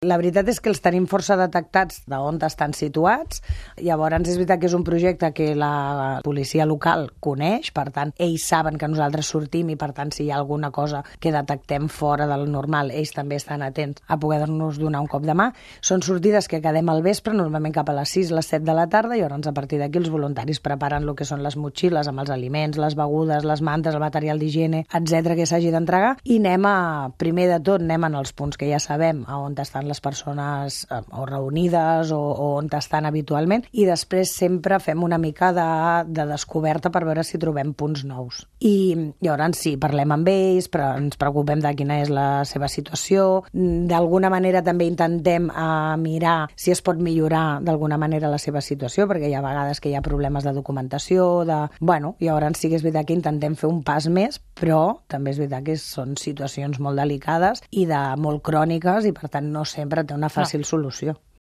La veritat és que els tenim força detectats d'on estan situats. Llavors és veritat que és un projecte que la policia local coneix, per tant, ells saben que nosaltres sortim i per tant, si hi ha alguna cosa que detectem fora del normal, ells també estan atents a poder-nos donar un cop de mà. Són sortides que quedem al vespre, normalment cap a les 6, les 7 de la tarda, i llavors a partir d'aquí els voluntaris preparen el que són les motxilles amb els aliments, les begudes, les mantes, el material d'higiene, etc que s'hagi d'entregar, i primer de tot, anem als punts que ja sabem a on estan les persones o reunides o on estan habitualment, i després sempre fem una mica de descoberta per veure si trobem punts nous. I llavors sí, parlem amb ells, però ens preocupem de quina és la seva situació. D'alguna manera també intentem mirar si es pot millorar d'alguna manera la seva situació, perquè hi ha vegades que hi ha problemes de documentació, i llavors sí que és veritat que intentem fer un pas més, però també és veritat que són situacions molt delicades i molt cròniques i per tant no sempre té una fàcil solució.